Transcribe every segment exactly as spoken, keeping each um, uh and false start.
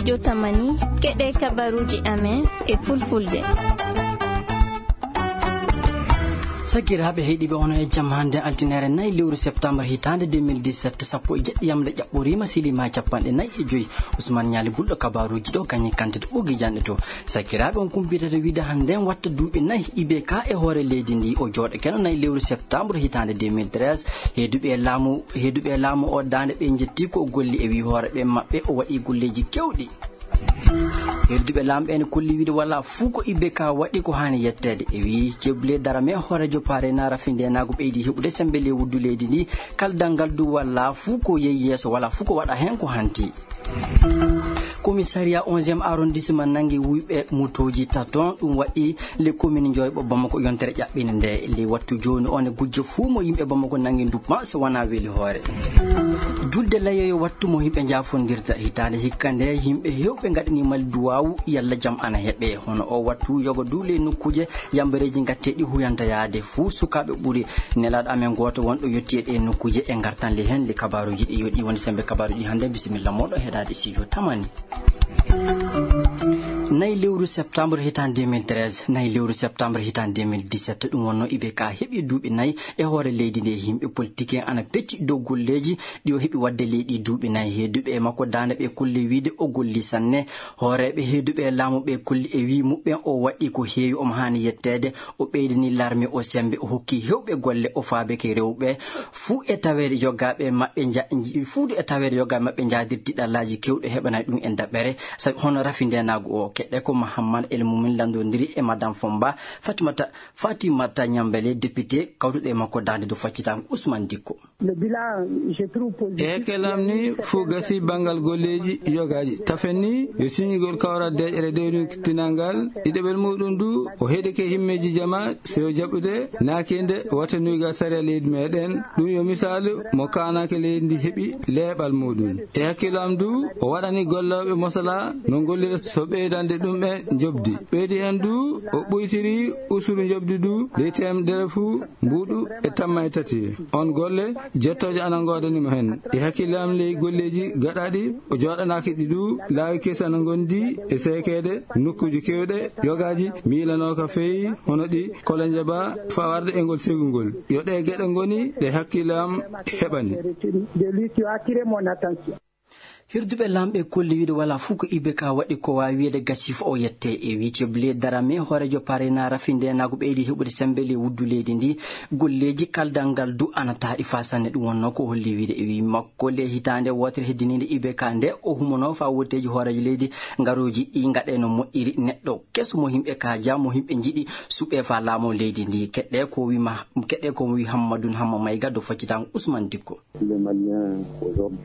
Jotamani, keɗe kabaruuji amen e fulfulde. Sakiraaɓe heɗiiɓe, ono e jam hannde, altinaare nayi lewru septembre hitaande deux mille dix-sept, sappo e jeɗɗi yamle ƴaɓɓoriima, siliima e capanɗe nayi e joyi. Ousmane Ñaali Bulɗo kabaruuji ɗo, kañum kantita ɓogi janɗe to. Sakiraaɓe, on kumpitata wiide hannde en watta duuɓi nayi I B K e hoore leydi ndi. O jooɗo keno nayi lewru septembre hitaande deux mille treize. Heeduɓe e laamu, heeduɓe e laamu o daande ɓe njetti ko o golli e wii hoore ɓe maɓɓe o waɗi golleeji kewɗi. Heeduɓe laamu ɓe ne kolli wiide wala fuu ko I B K waɗi ko haani yetteede. E wii Ceeble Darame hooreejo Paare Naara Findeenaagu ɓeydi heɓude sembe ley wuddu leydi ndi. Kaldal ngal du wala fuu ko yehi yeeso, wala fuu ko waɗa heen ko hanti. Commissariat onzième arrondissement nanngi wuyɓe motooji taton, ɗum waɗi les communes Njoyɓo Bamako yontere ƴaɓɓinde nde. Ley wattu jooni o ne gujjo fuu mo yimɓe Bamako nanngi nduppa so wonaa weli hoore. Julde layoyo wattu mo yimɓe njaafondirta hitaande hikka nde yimɓe heewɓe ngaɗani mali duwaawu yalla jam ana heɓe. Hono o wattu yogo du ley nokkuuje yambareeji ngatteeɗi huyanta yaade fuu sukaaɓe ɓuri. Nelaaɗo amen gooto wonɗo yotti e ɗee nokkuuje e ngartan le heen le kabaaruuji ɗi yoɗi woni sembe kabaaruuji hannde. Bisimilla mooɗo heɗaade studio Tamani. Nayi lewru septembre hitaande deux mille treize, nayi lewru septembre hitaande deux mille dix-sept, ɗum wonno I B K heɓi duuɓi nayi e hoore leydi ndi. Yimɓe politique en ana pecci dow golleeji ɗi o heɓi waɗde ley ɗi duuɓi nayi. Heeduɓe e makko daande ɓe kolli wiide o golli sanne. Hooreeɓe heeduɓe e laamu ɓe kolli e wii muɓɓen o waɗi ko heewi omo haani yetteede. O ɓeydani larme o sembe, o hokki heewɓe golle, o faabeke rewɓe fuu e taweede yogaaɓe maɓɓe nja-, fuu e taweede yogaaɓe maɓɓe njaadirti ɗallaaji kewɗi heɓanay ɗum en daɓɓere. Sabi hono rafi ndeenaagu o, keɗɗe ko Mahammad El Mumin lanndondiri e Madame Fomba, Fatimata, Fatimata Ñambele, député, kawtuɗo e makko daande dow faccitaango Ousmane Dikko. E hakkillam ni fuu gasi banngal golleeji yogaaji. Tafen ni yo siñigol kawral deeƴere dewrintinal ngal, ɗiɗaɓel muuɗum du o heɗike himmeeji jama sewo jaɓɓude naakinde wata nuyga sariya leydi meɗen. Ɗum yo misaalu mo kaanake leydi ndi heɓi leeɓal muuɗum. E hakkillam du o waɗani gollooɓe mosala no gollira so ɓeydande ɗum ɓe njoɓdi. Ɓeydi heen du o ɓuytiri usuru njoɓdi du ley teemedere fuu mbuuɗu e tamma e tati. On golle jettooje ana ngoodani mo heen. E hakkille am ley golleeji gaɗaaɗi o jooɗanaaki ɗi du laawi kesi ana ngondi e seekeede nokkuuji keewɗe yogaaji miilanooka feyi hono ɗi Kolenjaba fawarde e ngol segungol. Yo ɗee geɗe ngoni ɗe hakkille am heɓani. Hirduɓe laamɓe kolli wiide wala fuu ko I B K waɗi ko waawi wiyeede gasi fof o yette. E wiide Blé Darame, hooreejo Parena rafi ndeenaagu ɓeydi heɓude sembe ley wuddu leydi ndi. Golleeji kaldal ngal du ana taaɗi faa sanne. Ɗum wonnoo ko holli wiide e wii makko ley hitaande wootere heddiniinde I B K nde o humonoo faa wotteeji hooreejo leydi ngarooji ɗi ngaɗee no moƴƴiri. Neɗɗo keso mo yimɓe kaaja, mo yimɓe njiɗi suɓee faa laamoo leydi ndi. Keɗɗee ko wii ma, keɗɗee ko wii Hammadun Hamma Mayga dow faccitaango Usman Dikko.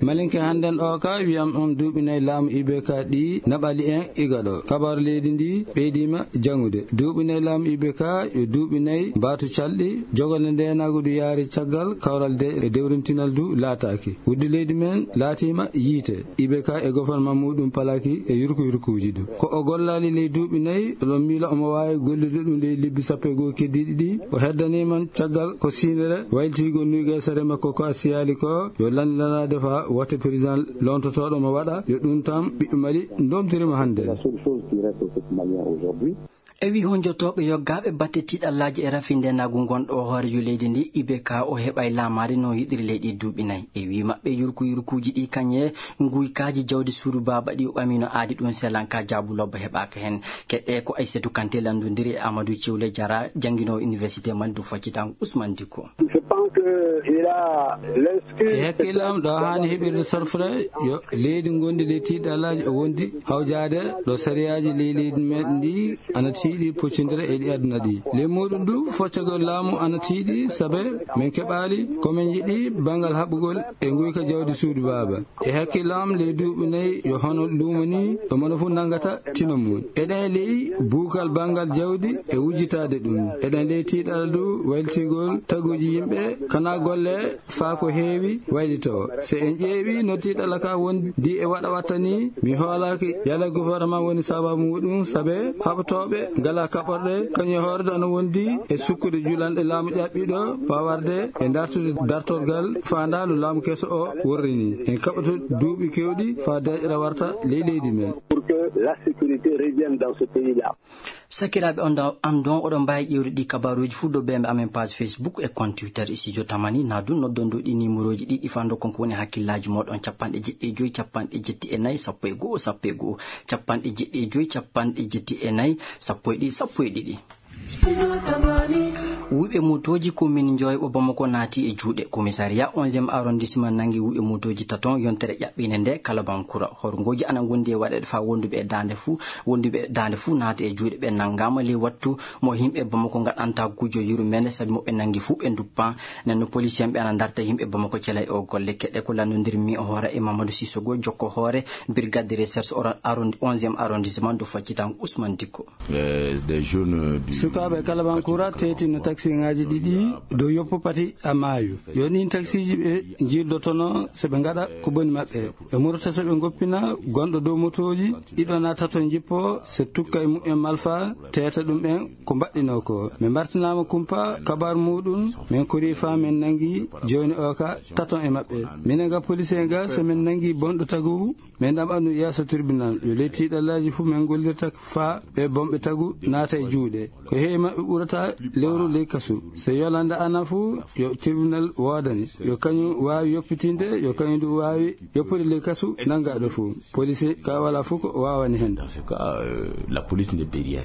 Malinke hannden o ka wiyam on duuɓi nayi laamu I B K ɗi naɓali en iga ɗo. Kabaaru leydi ndi ɓeydiima jangude. Duuɓi nayi laamu I B K yo duuɓi nayi baatu calɗi. Jogorde ndeenaagu du yaari caggal kawral de e dewrintinal du laataaki. Wuddu leydi men laatiima yiite. I B K e gofornman muuɗum palaaki e yurku yurkuuji du. Ko o gollaali ley duuɓi nayi, oɗon miila omo waawi gollude ɗum ley lebbi sappo e goo keddiiɗi ɗi. O heddanii man caggal ko siynere waylitigol nuygaysere makko ko a siyaali ko yo lanndanaade faa wate président loontotooɗo mo waɗa, yo ɗum tan ɓiɓɓe Mali ndomtirima hannde. E wii honjotooɓe yoggaaɓe batte tiiɗallaaji e rafi ndeenaagu ngonɗo o hooreejo leydi ndi, I B K o heɓay laamaade no yiɗiri ley ɗi duuɓi nayi. E wii maɓɓe yurku yurkuuji ɗi kañe nguykaaji jawdi suudu baaba ɗi o ɓamino aadi ɗum selanka jaabu lobba heɓaaka heen. Keɗɗee ko Aysatu Kante lanndondiri e Amadou Cewle Jara jannginoowo université Mali dow faccitaango Usman Dikko. E hakkille am ɗo haani heɓirde sorfre yo leydi ngondi ley tiiɗallaaji o wondi hawjaade ɗo sariyaaji ley leydi meɗen ndi ana tiiɗi poccondire e ɗi aduna ɗi. Ley muuɗum du foccagol laamu ana tiiɗi sabe min keɓaali ko min yiɗi banngal haɓugol e nguyka jawdi suudu baaba. E hakkille am ley duuɓi nayi yo hono luumo ni ɗo mono fof nanngata tino mum. Eɗen ley buukal banngal jawdi e wujjitaade ɗum. Eɗen ley tiiɗal du waylitigol taguuji yimɓe kana golle faa ko heewi waylitoo. So en ƴeewi no tiiɗalla ka wondi e waɗa watta ni, mi hoolaaki yalla gouvernement woni sababu muɗum, sabe haɓtooɓe Ngala kaɓorɗe, kañum e hoore ɗo ana wondi e sukkude julanɗe laamu ƴaɓɓiiɗo, faa warde e dartude dartorgal faandaandu laamu keso o worri ni. En kaɓoto duuɓi keewɗi faa deeƴre warta ley leydi men. Pour que la sécurité revienne dans ce pays-là. Sakiraaɓe, on ɗo, an ɗon oɗon mbaawi ƴeewde ɗi kabaaruuji fuu dow bembe amen page Facebook e compte Twitter Studio Tamani. Naa du noddon dow ɗi numéroji ɗiɗi faa ndokkon ko woni hakkillaaji mooɗon: capanɗe jeɗɗi e joy, capanɗe jetti e nayi, sappo e go'o, sappo e go'o, capanɗe jeɗɗi e joy, capanɗe jetti e nayi, sappo e ɗiɗi, sappo e ɗiɗi. Wuyɓe motooji commune Njoyɓo Bamako naati e juuɗe. Commissariat onzième arrondissement nangi wuyɓe motooji taton yontere ƴaɓɓinde nde Kalabankura. Horngooji ana ngondi e waɗeede faa wonduɓe e daande fuu, wonduɓe e daande fuu naata e juuɗe. Ɓe nangaama ley wattu mo yimɓe Bamako ngaɗanta gujo yurmeende, sabi mo ɓe nangi fuu ɓe nduppan. Nden no policier ɓe ana ndarta yimɓe Bamako cela e o golle. Keɗe ko lanndondirmi o hoore e Mamadou Sissoko, jokko hoore brigade de recherche oro-, arrondi-, onzième arrondissement, do faccitango Ousmane Dicko. Eh, des jeunes du Sukaaɓe Kalabankura teetino taksiŋaaji ɗiɗi dow yoppo pati a maayo. Yo ɗin taksiiji ɓe njildotono so ɓe ngaɗa ko boni maɓɓe. Ɓe murata so ɓe ngoppina gonɗo dow motooji, ɗiɗo naa tato njippo, so tukka e mumen malfa, teeta ɗum en ko mbaɗɗinoo ko. Min mbartinaama kumpa kabaar muuɗum, min korii faa min nangi jooni o ka taton e maɓɓe. Minen ga police en ga, so min nangi bonɗo tagu, min ɗaɓɓa ɗum yeeso tribunal. Yo ley tiiɗallaaji fuu min ngollirta faa ɓe bonɓe tagu naata e juuɗe. Ko heewi maɓɓe ɓurata lewru ley kasu. So yolande ana fuu, yo tribunal woodani. Yo kañum waawi yoppitinde, yo kañum du waawi yoppude ley kasu nangaaɗo fuu. Police ka wala fuu ko waawani hen. Dans ce cas, euh, la police ne peut rien.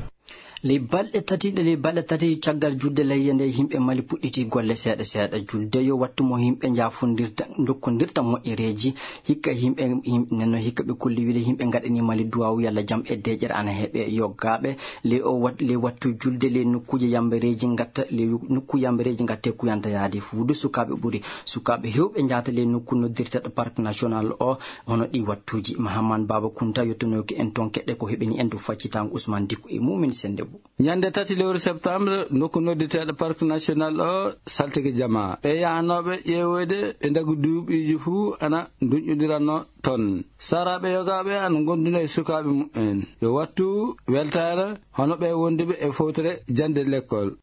Ley balɗe tati, ɗe ley balɗe tati caggal julde layya nde, yimɓe Mali puɗɗiti golle seeɗa seeɗa. Julde yo wattu mo yimɓe njaafondirta, ndokkondirta moƴƴereeji. Hikka yimɓe, yim-, nenno hikka ɓe kolli wile yimɓe ngaɗani Mali duwaawu yalla jam e deeƴere ana heɓe. Yoggaaɓe ley o wat-, ley wattu julde ley nokkuuje yambereeji ngatta, ley nokku yambereeji ngatte kuyanta yaade fuu. Du sukaaɓe ɓuri, sukaaɓe heewɓe njaata ley nokku noddirteeɗo Parc National o, hono ɗi wattuuji. Mahaman Baba Kunta yottunooki en toon keɗe ko heɓini en dow faccitango Ousmane Dicko e Mumin Sendebo. Ñande tati lewru septembre, nokku noddirteeɗo Parc National o, saltige jamaa. Ɓe yahanooɓe ƴeewoyde ɓe ndagu duuɓiiji fuu ana nduñƴondiranno toon. Saraaɓe yogaaɓe ana ngondunoo e sukaaɓe mumen. Yo wattu weltaare hono ɓe wonduɓe e fowtere jannde lekkol.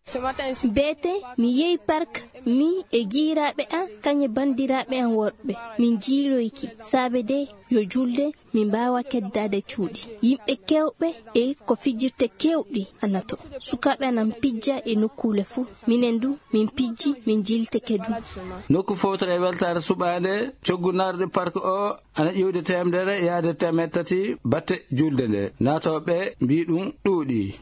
Beete, mi yehi park, mi e giiraaɓe an, kañe banndiraaɓe an worɓe. Min jiiloyki, saabe de yo julde, min mbaawa keddaade cuuɗi. Yimɓe keewɓe e ko fijirte keewɗi ana to. Sukaaɓe ana pijja e nokkuule fuu. Minen du, min pijji, min jiilteke du. Nokku fowtere e weltaare suɓaande, coggu naarude park o, ana ƴiwde teemedere yaade teemeɗɗe tati batte julde nde. Naatooɓe mbii ɗum ɗuuɗi.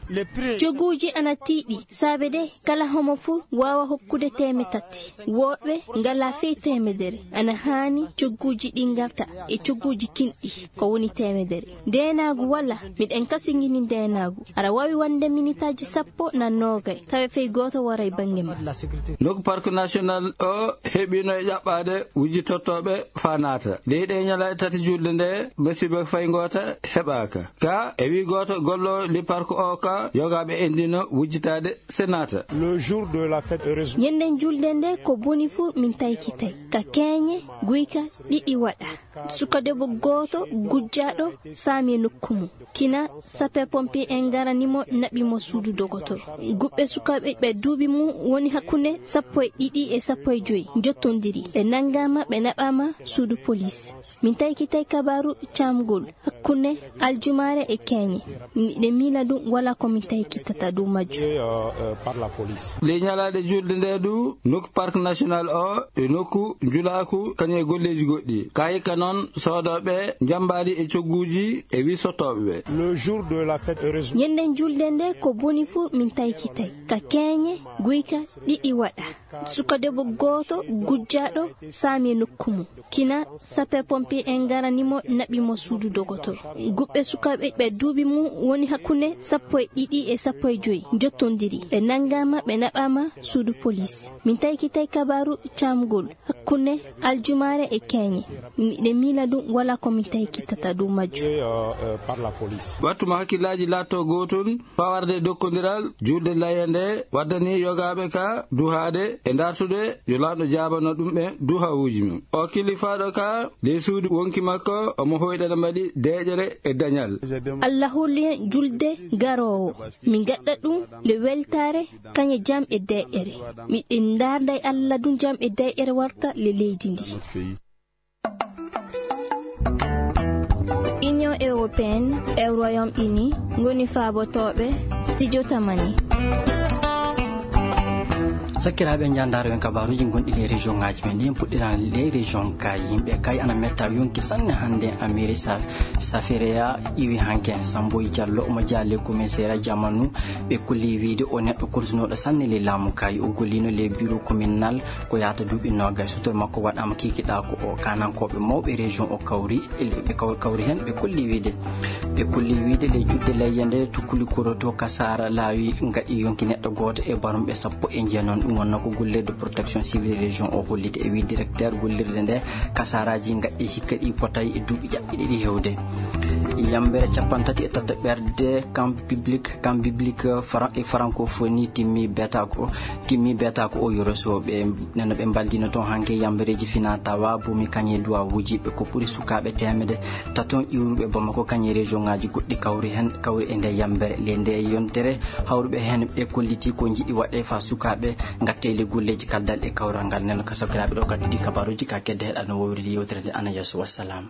Cogguuji ana tiiɗi, saabe de kala homo fuu waawa hokkude teemeɗɗe tati. Woɓɓe ngala fey teemedere. Ana haani cogguuji ɗi ngarta e cogguuji kinɗi, ko woni teemedere. Ndeenaagu wala, miɗen kasingini ndeenaagu. Aɗa waawi wonde minitaaji sappo naa noogay, tawe fey gooto waray bannge ma. Nokku park national o heɓino e ƴaɓɓaade wujjitotooɓe faa naata. Ley ɗee ñalaaɗe tati julde nde, musiba fay ngoota heɓaaka. Ka e wii gooto golloowo li park o ka, yogaaɓe endino wujjitaade se naata. Le jour de la fête, heureusement. Ñanden julde nde ko boni fuu min taykitay. Ka keeñe, guyka, ɗiɗi waɗa. Suka debbo gooto gujjaaɗo saami e nokku mum. Kina sapeur pompier en ngarani mo, naɓi mo suudu dogotoro. Guɓɓe sukaaɓe ɓe duuɓi mum woni hakkunde sappo e ɗiɗi e sappo e joy njottondiri. Ɓe nanngaama, ɓe naɓaama suudu police. Min taykitay kabaaru caamgol hakkunde aljumaare e keeñe. Miɗen miila ɗum wala ko min taykitata dow majjum. Ley ñalaaɗe julde nde du, nokku park national o e nokku njulaaku kañum e golleeji goɗɗi. Ka hikka noon soodooɓe njambaali e cogguuji e wisotooɓe ɓe. Le jour de la fête, heureusement. Ñanden julde nde ko boni fuu min taykitay. Ka keeñe, guyka, ɗiɗi waɗa. Suka debbo gooto gujjaaɗo saami e nokku mum. Kina sapeur pompier en ngarani mo, naɓi mo suudu dogotoro. Guɓɓe sukaaɓe ɓe duuɓi mum woni hakkunde sappo e ɗiɗi e sappo e joy njottondiri. Ɓe nanngaama, ɓe naɓaama suudu police. Min taykitay kabaaru caamgol hakkunde aljumaare e keeñe. Miɗen miila ɗum wala ko min taykitata dow majjum. Wattu mo hakkillaaji laatto gootun. Faa warde e dokkondiral, julde layya nde waddani yogaaɓe ka duhaade e ndartude yo Laamɗo jaabano ɗum ɓe duhawuuji mum. O kilifaaɗo ka ley suudu Yonki makko omo hoyɗana mbaɗi deeƴere e dañal. Allah holli en julde garoowo. Min gaɗɗa ɗum le weltaare, kañe jam e deeƴere. Miɗen ndaarda e Allah ɗum jam e deeƴere warta le leydi ndi. Union européenne e Royaume-Uni ngoni faabotooɓe Studio Tamani. Sakkiraaɓe, njaandaaro en kabaaruuji gonɗi ley région ŋaaji men ɗin. Puɗɗiran ley région Kaayi. Yimɓe Kaayi ana metta yonki sanne hannde. Amiri Sa-, Safireya iwi hanke. Samboyi Jallo omo jeyaa ley commissariat jamanu. Ɓe kulli wiide o neɗɗo kursunooɗo sanne ley laamu Kaayi. O gollino ley bureau communal ko yaata duuɓi noogay. Sutoro makko waɗaama kikiɗaa ko o. Kaanankooɓe mawɓe région o kawri, ɓe kaw-, kawri heen, ɓe kulli wiide. Ɓe kulli wiide ley juɗde leyye nde, tukkuli koroto kasaara laawi ngaɗi yonki neɗɗo gooto e barumɓe sappo e jeenon. Ɗum wonnoo ko gollirde protection civile région o holliti e wii directeur gollirde nde, kasaaraaji ngaɗi hikka ɗi potay e duuɓi ƴaɓɓi ɗiɗi hewde. Yambere capanɗe tati e tato ɓerde, camp public, camp public, eh, fran-, e francophonie timmi beetaako, timmi beetaako o yoroso ɓe. Neno ɓe mbaldino toon hanke yambereeji fina tawa boomi kañe duwawuuji ɓe ko ɓuri sukaaɓe teemedde taton iwruɓe Bamako kañe région ŋaaji goɗɗi kawri heen, kawri e nde yambere. Le nde yontere hawruɓe heen ɓe kolliti ko njiɗi waɗe fa sukaaɓe ngatte le golleeji kaldal e kawral ngal. Neno ka sakiraaɓe ɗo kadi ɗi kabaaruuji ka kedde heɗa no wowridi yewtere nde ana yeeso. Wassalam.